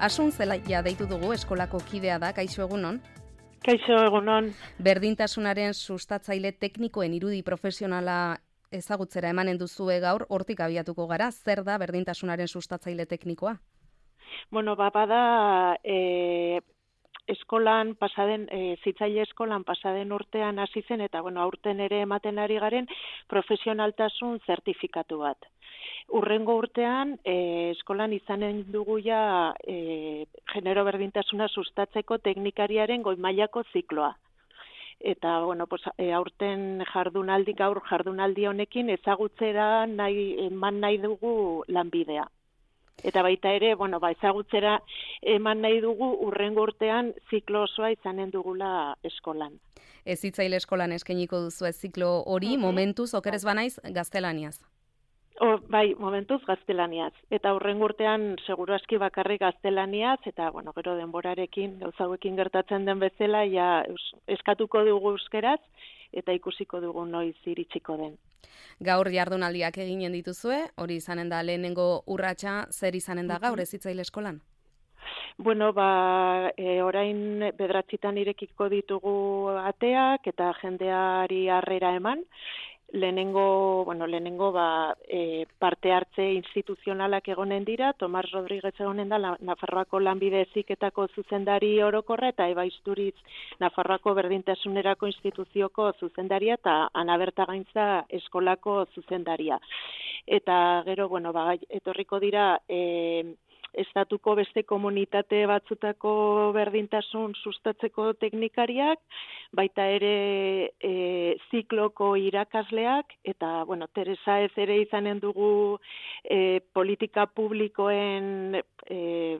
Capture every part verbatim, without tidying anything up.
Asun Zelaia deitu dugu, eskolako kidea da, kaixo egunon. Kaixo egunon. Berdintasunaren sustatzaile teknikoen irudi profesionala ezagutzera emanen duzue gaur, hortik abiatuko gara, zer da berdintasunaren sustatzaile teknikoa? Bueno, ba, bada e, eskolan pasaden, e, zitzaile eskolan pasaden urtean hasi zen, eta bueno, aurten ere ematen ari garen profesionaltasun zertifikatu bat. Urrengo urtean, e, eskolan izanen dugu ja e, genero berdintasuna sustatzeko teknikariaren goi mailako zikloa. Eta, bueno, pues, e, aurten jardunaldi, gaur jardunaldi honekin ezagutzera nahi, eman nahi dugu lanbidea. Eta baita ere, bueno, ba, ezagutzera eman nahi dugu urrengo urtean ziklo osoa izanen dugula eskolan. Hezitzaile eskolan eskainiko duzu ez ziklo hori, uh-huh. Momentuz, okerez banaiz, gaztelaniaz. O, bai, momentuz gaztelaniaz. Eta urrengo urtean seguru aski bakarrik gaztelaniaz, eta bueno, gero denborarekin, gauza hauekin gertatzen den bezala, ja eskatuko dugu euskeraz, eta ikusiko dugu noiz iritsiko den. Gaur jardunaldiak eginen dituzue, hori izanen da lehenengo urratsa, zer izanen da gaur hezitzaile eskolan? Bueno, ba, e, orain bederatzitan irekiko ditugu ateak, eta jendeari harrera eman, Lehenengo, bueno, lehenengo ba, e, parte hartze instituzionalak egonen dira, Tomas Rodríguez egonen da Nafarroako lanbide heziketako zuzendari orokorra, eta Eba Isturiz Nafarroako berdintasunerako instituzioko zuzendaria, eta Ana Bertagaintza eskolako zuzendaria. Eta gero, bueno, ba, etorriko dira e, estatuko beste komunitate batzutako berdintasun sustatzeko teknikariak, baita ere e, zikloko irakasleak, eta, bueno, Teresa ez ere izanen dugu e, politika publikoen e,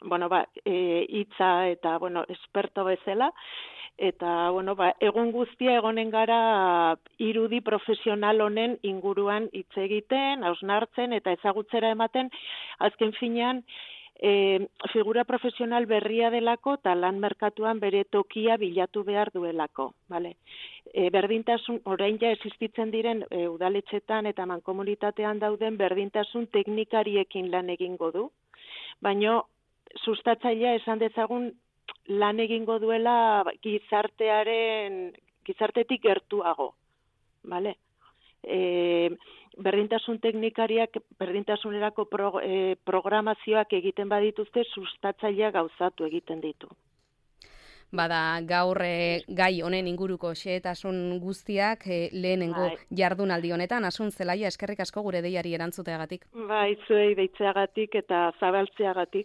bueno, ba, e, hitza eta, bueno, esperto bezala, eta, bueno, ba, egun guztia egonen gara irudi profesional honen inguruan hitz egiten, hausnartzen eta ezagutzera ematen, azken finean, e, figura profesional berria delako eta lan merkatuan bere tokia bilatu behar duelako. Vale? E, berdintasun, orain ja existitzen diren e, udaletxetan eta mankomunitatean dauden berdintasun teknikariekin lan egingo du, baina sustatzailea esan dezagun lan egingo duela gizartearen, gizartetik gertuago, vale? E, berdintasun teknikariak, berdintasunerako pro, e, programazioak egiten badituzte, sustatzailea gauzatu egiten ditu. Bada gaur e, gai honen inguruko xehetasun guztiak e, lehenengo bai. Jardunaldi honetan, Asun Zelaia, eskerrik asko gure deiari erantzuteagatik. Bai, zuei deitzeagatik eta zabaltzeagatik.